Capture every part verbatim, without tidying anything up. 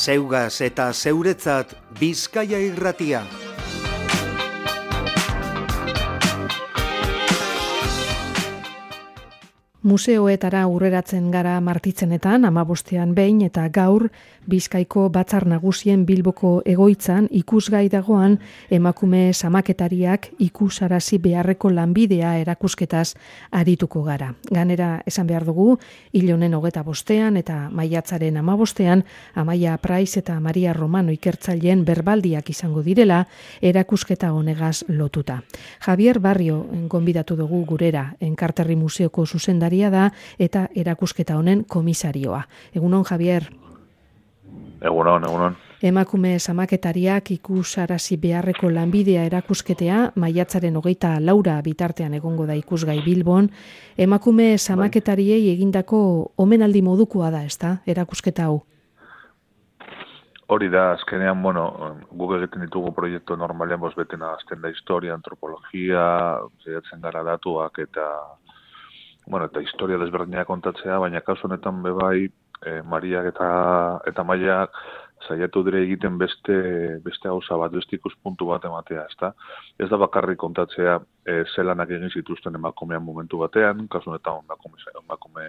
Zeugaz eta zeuretzat Bizkaia Irratia. Museoetara urreratzen gara martitzenetan, amabostean behin eta gaur Bizkaiko Batzar Nagusien Bilboko egoitzan ikusgai dagoan emakume zamaketariak ikusarazi beharreko lanbidea erakusketaz arituko gara. Ganera esan behar dugu, hil honen hogeta bostean eta maiatzaren amabostean, Amaia Praiz eta Maria Romano ikertzaileen berbaldiak izango direla erakusketa honegaz lotuta. Javier Barrio gonbidatu dugu gurera, Enkarterri Museoko zuzendaria da eta erakusketa honen komisarioa. Egunon, Javier. Egunon, egunon. Emakume zamaketariak ikusarazi beharreko lanbidea erakusketea, maiatzaren hogeita laura bitartean egongo da ikusgai Bilbon. Emakume zamaketariei egindako omenaldi modukoa da, ezta, erakusketa hau? Hori da, azkenean, bueno, guk egiten ditugu proiektu normalean, bos beten azten da historia, antropologia, zaiatzen gara datuak eta bueno, eta historia desberdinak kontatzea, baina kasu honetan bebai, eh, Mariak eta eta Maiak saiatu dire egiten beste beste gauza bat, beste ikuspuntu bat ematea, ezta? Ez da bakarrik kontatzea eh, zelanak egin zituzten emakumean momentu batean, kasu honetan emakume emakume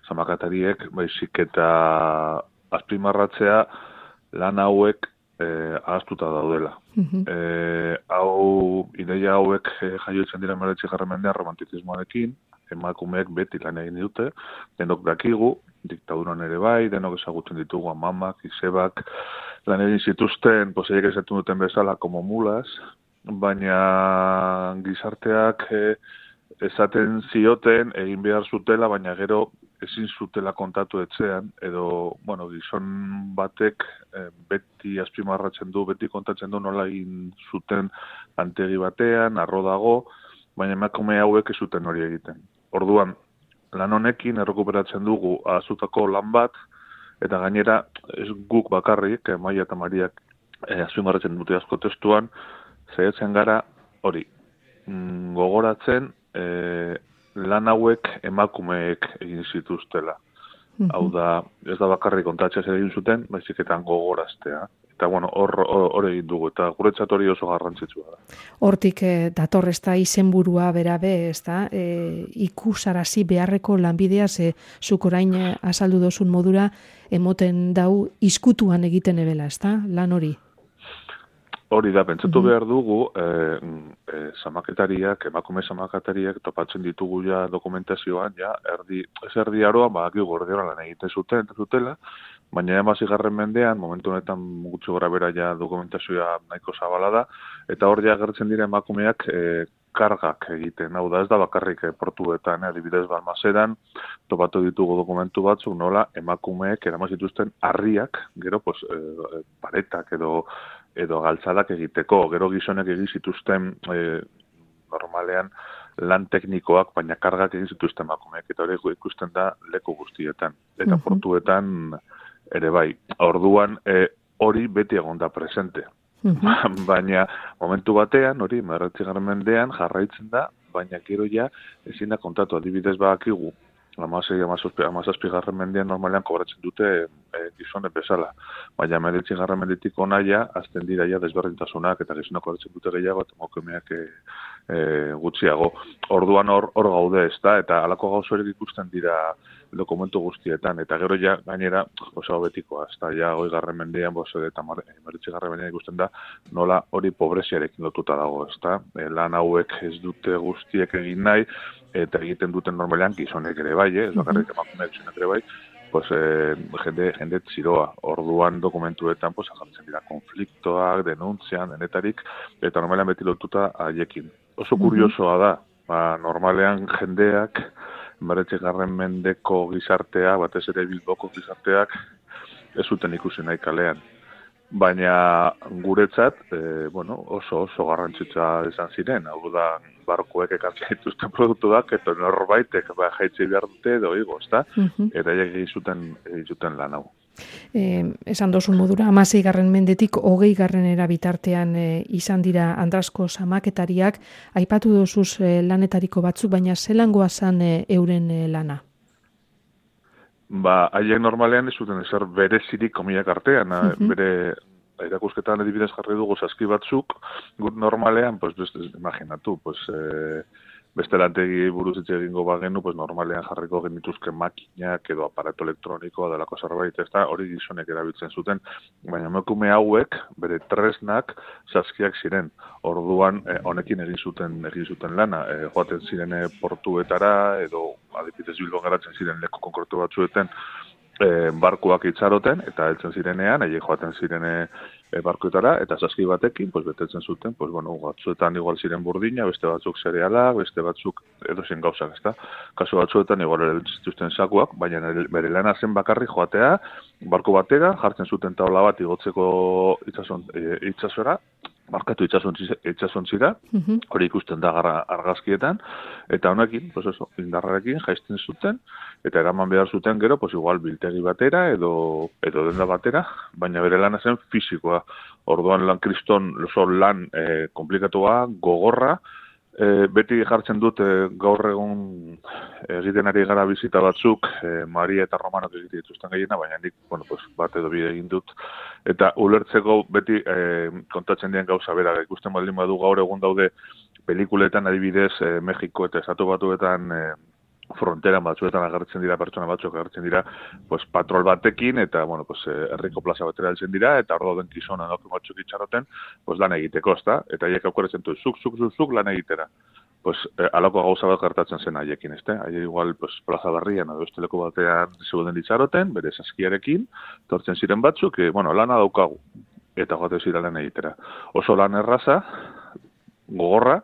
zamakatariek, baizik eta azpimarratzea lan hauek eh, ahaztuta daudela. Mhm. Eh, hau, ideia hauek eh, jaiotzen dira hemeretzigarren mendean romantizismoarekin, emakumeek beti lan egin dute, denok dakigu, diktaduran ere bai, denok ezagutzen ditugu amamak, izebak, lan egin zituzten, poseiek esaten duten bezala, como mulas, baina gizarteak eh, esaten zioten, egin behar zutela, baina gero ezin zutela kontatu etxean, edo, bueno, gizon batek eh, beti azpimarratzen du, beti kontatzen du nola egin zuten antegi batean, arro dago, baina emakume hauek ez zuten hori egiten. Orduan, lan honekin errekuperatzen dugu ahazutako lan bat, eta gainera ez guk bakarrik, Maia eta Mariak eh, azpimarratzen dute asko testuan, saiatzen gara hori, mm, gogoratzen eh, lan hauek emakumeek egin zituztela. Mhm. Hau da, ez da bakarrik kontatzea zer egin zuten, baiziketan gogoraztea. Eta, bueno, hor, hor, hor egin dugu, eta guretzat hori oso garrantzitsua da. Hortik eh, dator ez da izenburua berabe, ez da, e, ikusarazi beharreko lanbidea, ze zuk orain eh, azaldu dozun modura, emoten dau izkutuan egiten ebela, ez da, lan hori? Hori da, pentsatu Mhm. behar dugu, eh, eh, zamaketariak, emakume zamaketariak topatzen ditugu ja dokumentazioan, ja, erdi, ez erdi aroan, badakigu erdi lan egiten zuten, zutela, baina hamazigarren mendean, momentu honetan gutxi gora bera ja dokumentazioa nahiko zabala da, eta hor ja agertzen dira emakumeak eh, kargak egiten, hau da ez da bakarrik eh, portuetan, eh, adibidez Balmaseran, topatu ditugu dokumentu batzuk, nola emakumeek eraman zituzten harriak, gero pues, eh, paretak edo edo galtzadak egiteko, gero gizonek egin zituzten eh, normalean lan teknikoak, baina kargak egin zituzten emakumeek, eta hori ikusten da leku guztietan, eta Mhm. portuetan ere bai. Orduan eh, hori beti egon da presente. Mhm. Baina momentu batean, hori, hemeretzigarren mendean jarraitzen da, baina gero ja ezin da kontatu, adibidez badakigu, hamasei, hamazazpigarren mendean normalean kobratzen dute e, gizonek bezala. Baina hemeretzigarren mendetik hona ja, azten dira ja desberdintasunak eta gizonak kobratzen dute gehiago eta emakumeak e, e, gutxiago. Orduan hor hor gaude, ezta, eta halako gauza horiek ikusten dira dokumentu guztietan, eta gero ja gainera, oso betikoa, ezta, ja hogeigarren mendean, boso eta hemeretzigarren mendean ikusten da, nola hori pobreziarekin lotuta dago, ezta. E, lan hauek ez dute guztiek egin nahi, eta egiten duten normalean gizonek ere bai, eh? Ez bakarrik emakumeak gizonek ere bai, pues, eh, jende, jende txiroa. Orduan dokumentuetan pues, agertzen dira konfliktoak, denuntzian, denetarik, eta normalean beti lotuta haiekin. Oso kuriosoa da, ba, normalean jendeak, hemeretzigarren mendeko gizartea, batez ere Bilboko gizarteak, ez zuten ikusi nahi kalean. Baina guretzat, e, bueno, oso oso garrantzitsua izan ziren, hau da, barkoek ekartzen dituzten produktuak, eta norbaitek ba, jaitzi behar dute edo igo, ezta? Mhm. Eta egin zuten, egin zuten lan hau. Eh, esan dozun modura, hamaseigarren mendetik hogeigarrenera bitartean eh, izan dira Andrasko zamaketariak, aipatu dozuz eh, lanetariko batzuk, baina zelangoa zan eh, euren eh, lana? ba, haiek normalean ez zuten ezer berezirik komilak artean, uh-huh. bere erakusketan adibidez jarri dugu saski batzuk, gut normalean, pues, beste, imaginatu, pues, eh, beste lantegi buruz hitz egingo bagenu, pues, normalean jarriko genituzke makinak edo aparato elektronikoa delako zerbait, ez da, hori gizonek erabiltzen zuten, baina emakume hauek, bere tresnak saskiak ziren. Orduan, eh, honekin egin zuten egin zuten lana, eh, joaten zirene portuetara, edo adibidez Bilbon garatzen ziren leku konkretu batzuetan, E, barkuak itxaroten, eta heltzen zirenean, haiek joaten zirene e, barkuetara, eta saski batekin, pues, betetzen zuten, pues, bueno, batzuetan igual ziren burdina, beste batzuk zerealak, beste batzuk edozein gauzak, ezta? Kasu batzuetan igual ere zituzten sakuak, baina bere lana zen bakarri joatea, barku batera, jartzen zuten taula bat igotzeko itsason, e, itsasora, markatu itsasontzira, uh-huh. hori ikusten da argazkietan, eta honekin, pues eso, indarrarekin jaisten zuten, eta eraman behar zuten gero, pues igual biltegi batera, edo, edo denda batera, baina bere lana zen fisikoa. Orduan lan kriston, oso lan eh, komplikatua, gogorra, E, beti jartzen dut e, gaur egun egiten ari gara bizita batzuk, e, Maria eta Romanok egite dituzten gehiena, baina nik, bueno, pues, bat edo bide egin dut. Eta ulertzeko beti e, kontatzen dien gauza bera, ikusten baldin badu gaur egun daude pelikuletan adibidez e, Mexiko eta Estatu Batuetan e, fronteran batzuetan agertzen dira, pertsona batzuk agertzen dira, pues, patrol batekin, eta, bueno, pues, herriko plaza batera heltzen dira, eta hor dauden gizona emakume batzuk itxaroten, pues, lan egiteko, ezta? Eta haiek aukeratzen du, zuk, zuk, zuk, zuk lan egitera. Pues, eh, alako gauza bat gertatzen zen haiekin, ezta? Haiek igual, pues, plaza barrian, edo esteleko batean zeuden itxaroten, bere saskiarekin, tortzen ziren batzuk, e, bueno, lana daukagu, eta joate zira lan egitera. Oso lan erraza, gogorra,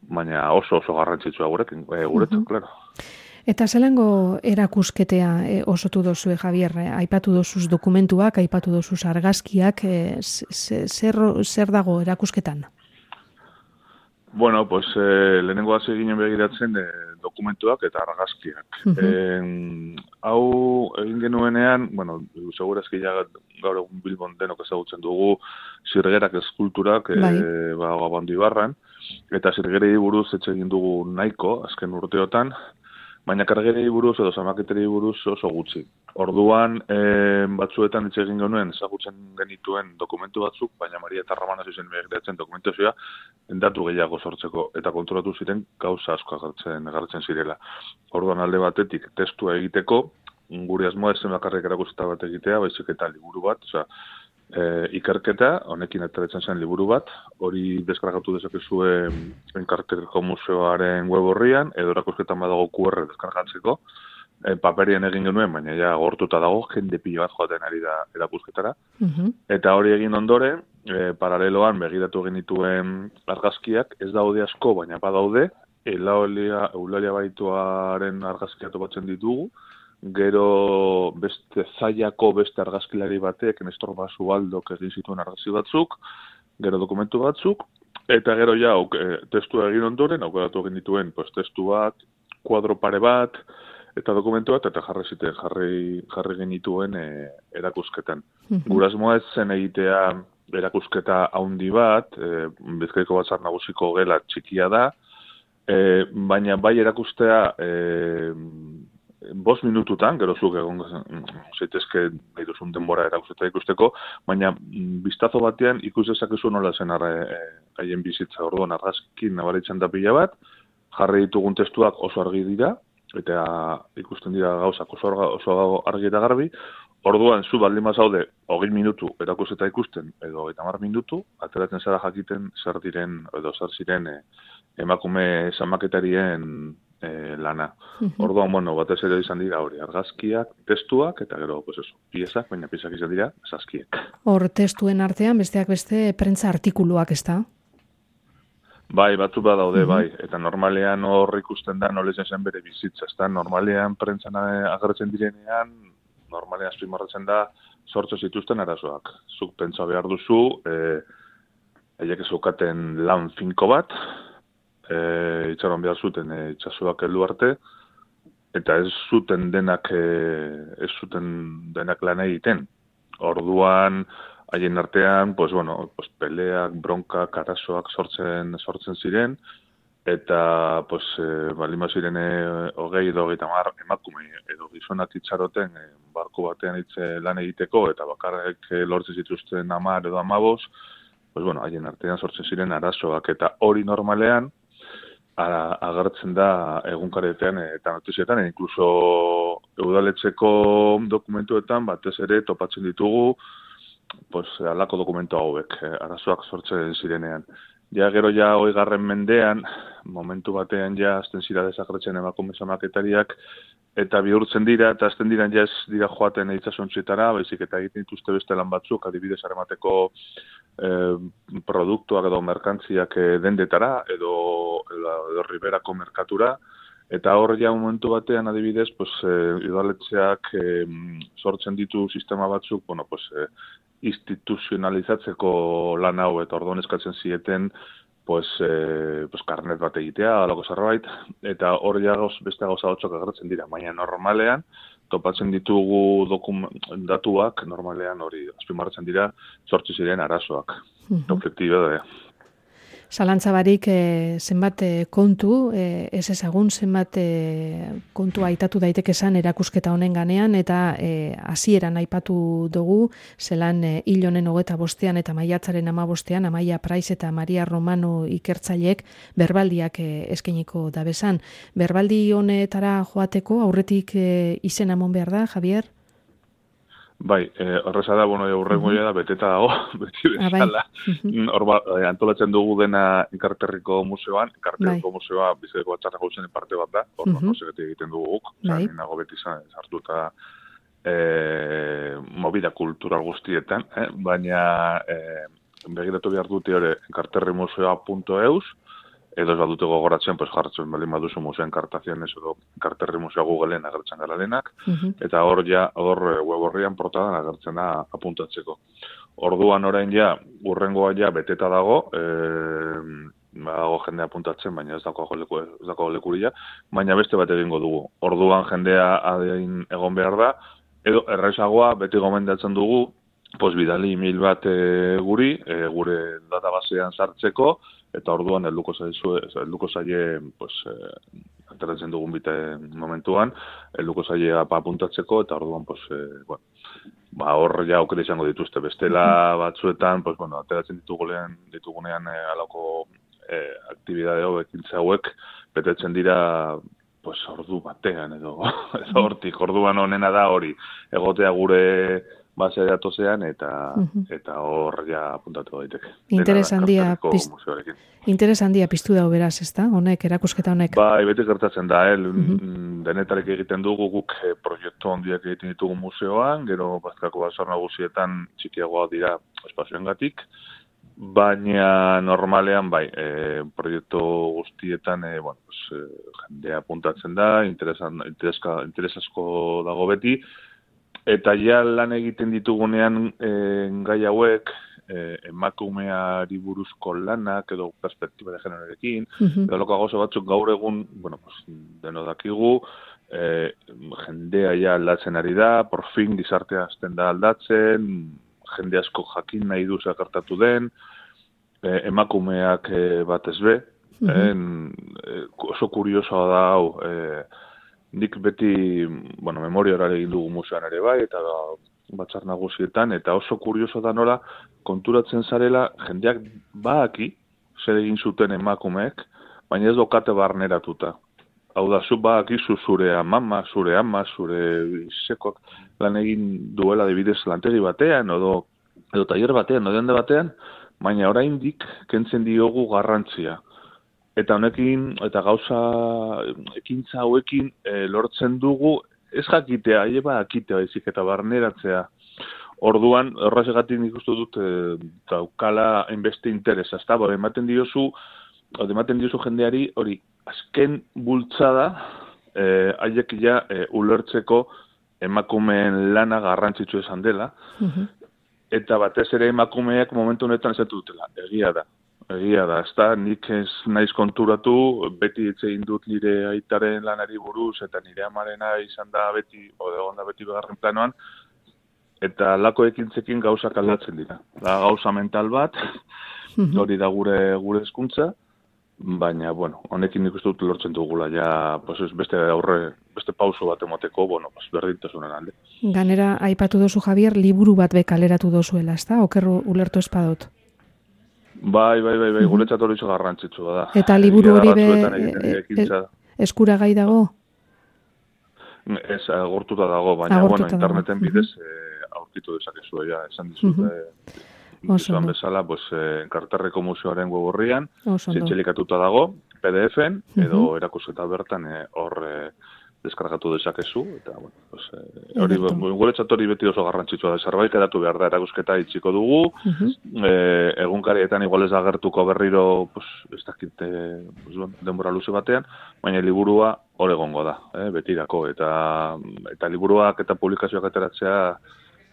baina oso oso garrantzitsua gurekin, e, guretzat, uh-huh. claro. Eta zelango erakusketea e, osotu dozue, Javier, aipatu dozuz dokumentuak, aipatu dozuz argazkiak, e, zer, zer dago erakusketan? Bueno, pues, eh, lehenengo hasi ginen begiratzen eh, dokumentuak eta argazkiak. Uh-huh. eh, hau egin genuenean, bueno, segurazki ja gaur egun Bilbon denok ezagutzen dugu zirgerak eskulturak, bai. eh, ba, Abandoibarran, eta zirgerei buruz etxe egin dugu nahiko, azken urteotan, baina kargerei buruz edo zamaketeri buruz oso gutxi. Orduan, e, batzuetan hitz egin genuen, ezagutzen genituen dokumentu batzuk, baina Maria eta Romana zuzen begiratzen dokumentazioa datu gehiago sortzeko, eta kontrolatu ziren gauza asko agertzen, agertzen zirela. Orduan alde batetik testua egiteko, gure asmoa ezen bakarrik erakusketa bat egitea, baizik eta liburu bat, osea, E, ikerketa, honekin ateratzen zen liburu bat, hori deskargatu dezakezue Enkarterko Museoaren web horrian, edo erakusketan badago Q R deskargatzeko, e, paperien egin genuen, baina ja gortuta dago, jende pilo bat joaten ari da erakusketara. Uh-huh. Eta hori egin ondoren, e, paraleloan begiratu genituen argazkiak, ez daude asko, baina badaude, Eulalia, Eulalia Baituaren argazkiak topatzen ditugu, gero beste zaiako beste argazkilari batek, Nestor Basualdok egin zituen argazki batzuk, gero dokumentu batzuk, eta gero ja, e, testua egin ondoren, aukeratu egin dituen, pues, testu bat, kuadro pare bat, eta dokumentu bat, eta jarri ziten, jarri, jarri genituen e, erakusketan. Mm-hmm. Gurasmoa ez zen egitea erakusketa haundi bat, e, Bizkaiko Batzar Nagusiko gela txikia da, e, baina bai erakustea e, bost minututan, gero zuk egon zaitezke nahi duzun denbora erakusketa ikusteko, baina biztazo batean ikus dezakezu nola zen haien e, bizitza. Orduan argazkin nabaritzen da pila bat, jarri ditugun testuak oso argi dira, eta ikusten dira gauzak oso, oso argi eta garbi. Orduan zu baldin bazaude hogei minutu erakusketa ikusten, edo eta hamar minutu, ateratzen zara jakiten zer diren, edo zer ziren e, emakume zamaketarien E, lana. Uh-huh. Orduan, bueno, batez ere izan dira hori, argazkiak, testuak, eta gero, pues eso, piezak, baina piezak izan dira, saskiek. Hor testuen artean, besteak beste, prentza artikuluak, ez da? Bai, batzu badaude, uh-huh. bai, eta normalean hor ikusten da, nolezen zen bere bizitza, ez da, normalean prentzan agertzen direnean, normalean azpimarratzen da, sortze zituzten arazoak. Zuk pentsa behar duzu, e, haiek zeukaten lan finko bat, E, itxaron behar zuten e, itxasuak heldu arte, eta ez zuten denak e, ez zuten denak lan egiten. Orduan, haien artean, pues, bueno, pues, peleak, bronkak, arazoak sortzen, sortzen ziren, eta pues, e, balima ziren e, hogei edo hogeita hamar emakume edo gizonak itxaroten e, barku batean itze lan egiteko, eta bakarrik e, lortzen zituzten hamar edo hamabos, pues bueno, haien artean sortzen ziren arazoak, eta hori normalean, Ara, agertzen da egunkaretean eta notizietan, e, inkluso udaletxeko dokumentuetan batez ere topatzen ditugu pues, alako dokumentu hauek, e, arazoak sortzen zirenean. Ja gero ja hogeigarren mendean, momentu batean ja azten zira desagertzen emakume zamaketariak, eta bihurtzen dira, eta azten dira ja ez dira joaten itsasontzietara, baizik eta egiten dituzte beste lan batzuk, adibidez aramateko eh, produktuak edo merkantziak dendetara, edo, edo, edo riberako merkatura, eta hor ja momentu batean adibidez, pues, eh, udaletxeak eh, sortzen ditu sistema batzuk, bueno, pues, eh, instituzionalizatzeko lan hau, eta orduan eskatzen zieten, pues, eh, pues karnet bat egitea, alako zerbait, eta hor ja gauz, beste gauza batzuk agertzen dira, baina normalean, topatzen ditugu datuak, normalean hori azpimarratzen dira, sortzi ziren arazoak. Uh-huh. Objektiba da. Zalantza barik e, zenbat e, kontu, e, ez ezagun zenbat e, kontu aitatu daiteke esan erakusketa honen ganean, eta e, hasieran aipatu dugu, zelan e, hil honen hogeta bostean eta maiatzaren ama bostean, Amaia Praiz eta Maria Romano ikertzaileek berbaldiak e, eskeniko dabezan. Berbaldi honetara joateko aurretik e, izena emon behar da, Javier? Bai, eh, horreza da, bueno, aurrengoia da, beteta dago, beti bezala. Hor ba, eh, antolatzen dugu dena Enkarterriko museoan, Enkarterriko museoa biziteko batzarra gauzen parte bat da, hor no segeti egiten dugu guk, bai. Nago beti sartuta eh, movida kultural guztietan, eh? Baina eh, begiratu behar dute hori enkarterrimuseoa punto eus, edo ez badute gogoratzen, pues jartzen bali maduzu museo enkartaziones edo Enkarterri museo Googleen agertzen gara lehenak, uh-huh. Eta hor ja, hor web horrian portadan agertzen da apuntatzeko. Orduan orain ja, urrengoa ja beteta dago, eh, dago jendea apuntatzen, baina ez dago leku, ez dago lekuria, baina beste bat egingo dugu. Orduan jendea adein egon behar da, edo erraizagoa beti gomendatzen dugu, pues bidali email bat e, guri, e, gure databasean sartzeko, eta orduan helduko zaizu, helduko zaie, pues, eh, ateratzen dugun bite momentuan, helduko zaie apuntatzeko, eta orduan, pues, eh, bueno, ba, hor ja aukera izango dituzte. Bestela batzuetan, pues, bueno, ateratzen ditugunean, ditugunean eh, alako eh, aktibidade hau, ekintza hauek, betetzen dira, pues, ordu batean, edo, edo hortik, orduan honena da hori, egotea gure base datozean, eta uh-huh. eta hor ja apuntatu daiteke. Interes handia piztu, interes handia piztu da beraz, ezta? Honek, erakusketa honek. Bai, beti gertatzen da, eh? Uh-huh. Denetarek egiten dugu guk eh, proiektu handiak egiten ditugu museoan, gero Bazkaiko Batzar Nagusietan txikiagoa dira espazioengatik, baina normalean bai, eh, proiektu guztietan eh, bueno, pues, eh, jendea apuntatzen da, interesan, intereska, interesasko dago beti, eta ja lan egiten ditugunean e, gai hauek, e, emakumeari buruzko lanak edo perspektiba de generorekin, uh-huh. Edo loko gauza batzuk gaur egun, bueno, pues, deno dakigu, e, jendea ja aldatzen ari da, por fin gizartea azten da aldatzen, jende asko jakin nahi du zakartatu den, e, emakumeak e, batez be, uh-huh. en, e, oso kuriosoa da hau, e, nik beti, bueno, memoria horare egin dugu museoan ere bai, eta batzar nagusietan, eta oso kurioso da nola, konturatzen zarela, jendeak baaki, zer egin zuten emakumeek, baina ez dokate barneratuta. Hau da, zu baaki zu zure amama, zure ama, zure sekok lan egin duela dibidez lantegi batean, edo, edo taller batean, edo dende batean, baina oraindik kentzen diogu garrantzia. Eta honekin, eta gauza ekintza hauekin e, lortzen dugu, ez jakitea, eba jakitea baizik eta barneratzea. Orduan, horrezegatik nik uste dut, e, daukala hainbeste interesa, ezta, bora, ematen diozu, ematen diozu jendeari, hori, azken bultzada, e, haiek ja e, ulertzeko emakumeen lana garrantzitsu esan dela, uh-huh. Eta batez ere emakumeak momentu honetan ez dutela, egia da. Egia da, ez da, nik ez naiz konturatu, beti hitz egin dut nire aitaren lanari buruz, eta nire amarena izan da beti, odegon da beti begarren planoan, eta lako ekintzekin gauzak aldatzen dira. Da gauza mental bat, hori da gure gure hezkuntza, baina, bueno, honekin nik uste dut lortzen dugula, ja, pues, beste aurre, beste pauso bat emoteko, bueno, pues, berdintasunen alde. Ganera, aipatu dozu, Javier, liburu bat bekaleratu dozuela, ez da? Okerru ulertu espadot? Bai, bai, bai, bai, guretzat hori iso garrantzitsua da. Eta liburu hori be, eskura gai dago? Ez, agortuta dago, baina, agortuta bueno, interneten dago. bidez, uh-huh. eh, aurkitu dezakezu, ja, esan dizut, uh-huh. eh, izan bezala, pues, eh, Karterreko Museoaren web horrian, zintxelikatuta dago, P D F-en, edo uh-huh. erakusketa bertan hor eh, deskargatu dezakezu, eta, bueno, pues, eh, hori, guretzat hori beti oso garrantzitsua da, zerbait edatu behar da, erakusketa itxiko dugu, uh-huh. eh, egunkarietan igual ez agertuko berriro, pues, ez dakit, eh, pues, denbora luze batean, baina liburua hor egongo da, eh, betirako, eta, eta liburuak eta publikazioak ateratzea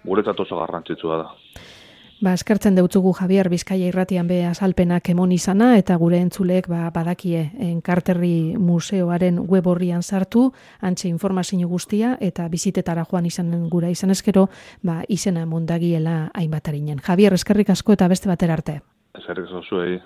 guretzat oso garrantzitsua da. Ba, eskertzen deutzugu Javier Bizkaia Irratian be azalpenak emon izana eta gure entzulek ba, badakie Karterri Museoaren web horrian sartu, antxe informazio guztia eta bizitetara joan izanen gura izan eskero, ba, izena mondagiela hainbatarinen. Javier, eskerrik asko eta beste batera arte. Eskerrik asko zuei.